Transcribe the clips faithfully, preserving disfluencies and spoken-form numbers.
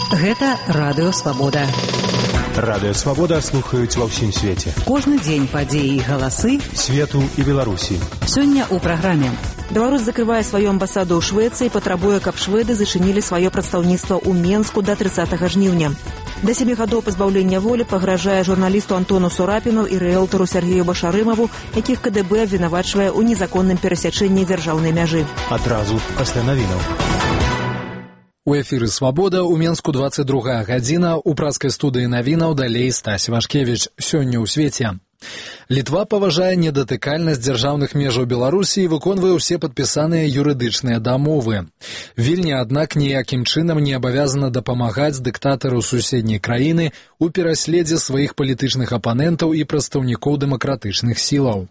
Гэта Радыё Свабода. Радыё Свабода слухаюць ва ўсім свеце. Кожны дзень падзеі і галасы свету і Беларусі. Сёння ў праграме. Беларусь закрывае сваю амбасаду ў Швецыі і патрабуе, каб шведы зачынілі сваё прадстаўніцтва ў Менску да трыццатага жніўня. Да сямі гадоў пазбаўлення волі пагражае журналісту Антону Сурапіну і рыэлтару Сергею Башарымаву, якіх ка дэ бэ абвінавачвае ў незаконным перасячэнні дзяржаўнай мяжы. Адразу пасля навінаў. У эфіры «Свабода» у Менску двадцать другая гадзіна, у праскай студыі навінаў далей Стась Вашкевіч. Сёння ў свеце. Літва паважае недатыкальнасць дзяржаўных межаў Беларусі і выконвае ўсе падпісаныя юрыдычныя дамовы. Вільня, аднак, ніякім чынам не абавязана дапамагаць дыктатару суседняй краіны у пераследзе сваіх палітычных апанентаў і прадстаўнікоў дэмакратычных сілаў.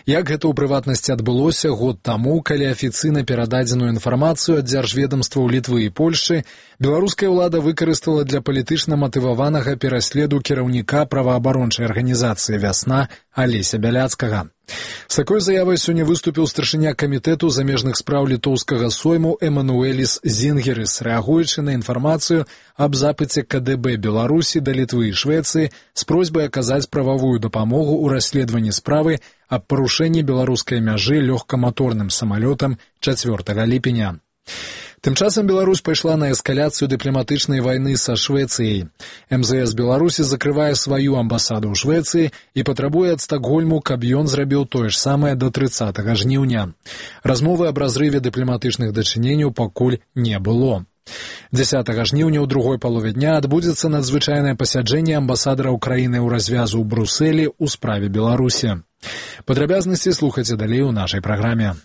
Як гэта ў прыватнасці адбылося год таму, калі афіцыйна перададзеную інфармацыю ад дзяржведамстваў Літвы і Польшчы беларуская ўлада выкарыстала для палітычна матываванага пераследу кіраўніка праваабарончай арганізацыі «Вясна» Алеся Бяляцкага. З такой заявай сёння выступіў старшыня камітэту замежных спраў літоўскага сойму Эмануэліс Зінгерыс, рэагуючы на інфармацыю аб запыце ка дэ бэ Беларусі да Літвы і Швецыі з просьбай аказаць прававую дапамогу ў расследаванні справы аб парушэнні беларускай мяжы лёгкаматорным самалётам чацвёртага ліпеня. Тым часам Беларусь пайшла на эскаляцыю дыпламатычнай вайны са Швецыяй. эм зэ эс Беларусі закрывае сваю амбасаду ў Швецыі і патрабуе ад Стакгольму, каб ён зрабіў тое ж самае да трыццатага жніўня. Размовы аб разрыве дыпламатычных дачыненняў пакуль не было. дзясятага жніўня ў другой палове дня адбудзецца надзвычайнае пасяджэнне амбасадара Украіны ў развязу ў Брусэлі ў справе Беларусі. Падрабязнасці слухайце далей у нашай праграме.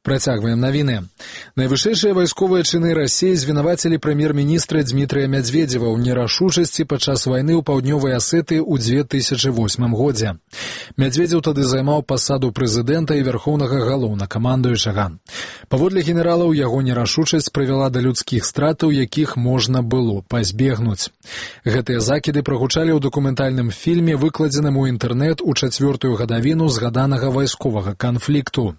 Працягваем навіны. Найвышэйшыя вайсковыя чыны Расіі звінавацілі прэм'ер-міністра Дзмітрыя Мядзведзева ў нерашучасці падчас вайны ў паўднёвай Асетыі ў дзве тысячы восьмым годзе. Мядзведзеў тады займаў пасаду прэзідэнта і вярхоўнага галоўнакамандуючага. Паводле генералаў, яго нерашучасць прывяла да людскіх стратаў, якіх можна было пазбегнуць. Гэтыя закіды прагучалі ў дакументальным фільме, выкладзеным у інтэрнэт у чацвёртую гадавіну згаданага вайсковага канфлікту.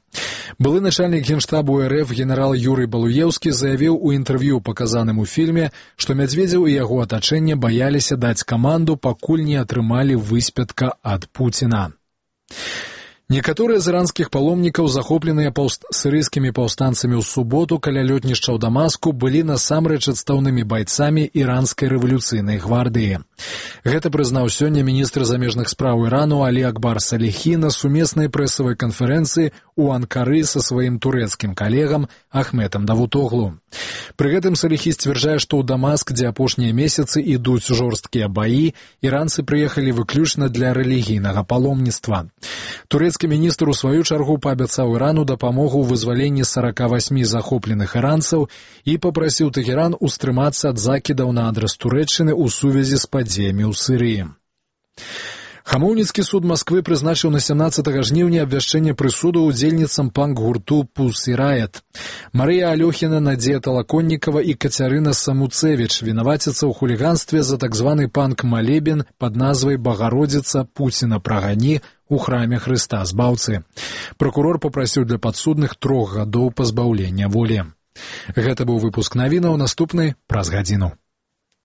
Былы начальнік генштабу эр эф генерал Юрый Балуеўскі заявіў у інтэрв'ю, паказаным у фільме, што Мядзведзеў і яго атачэнне баяліся даць каманду, пакуль не атрымалі выспятка ад Пуціна. Некаторыя з іранскіх паломнікаў, захопленыя паўст... сірыйскімі паўстанцамі ў суботу каля лётнішча ў Дамаску, былі насамрэч адстаўнымі байцамі іранскай рэвалюцыйнай гвардыі. Гэта прызнаў сёння міністр замежных спраў Ірану Алі Акбар Саліхі на сумеснай прэсавай канферэнцыі ў Анкары са сваім турэцкім калегам Ахметам Давутоглу. Пры гэтым Саліхі сцвярджае, што ў Дамаск, дзе апошнія месяцы ідуць жорсткія баі, іранцы прыехалі выключна для рэлігійнага паломніцтва. Турэцкі міністр у сваю чаргу паабяцаў Ірану дапамогу ў вызваленні сорока восьми захопленых іранцаў і папрасіў Тэхеран устрымацца ад закідаў на адрас Турэччыны ў сувязі з падзеямі ў Сірыі. Хамоўніцкі суд Масквы прызначыў на сямнаццатага жніўня абвяшчэнне прысуду ўдзельніцам панк-гурту «Pussy Riot». Марыя Алёхіна, Надзея Талаконнікава і Кацярына Самуцевіч вінаваціцца ў хуліганстве за так званы панк-малебен пад назвай «Багародзіца, Пуціна прагані» у храме Хрыста Збаўцы. Пракурор папрасіў для падсудных трох гадоў пазбаўлення волі. Гэта быў выпуск навінаў, наступны праз гадзіну.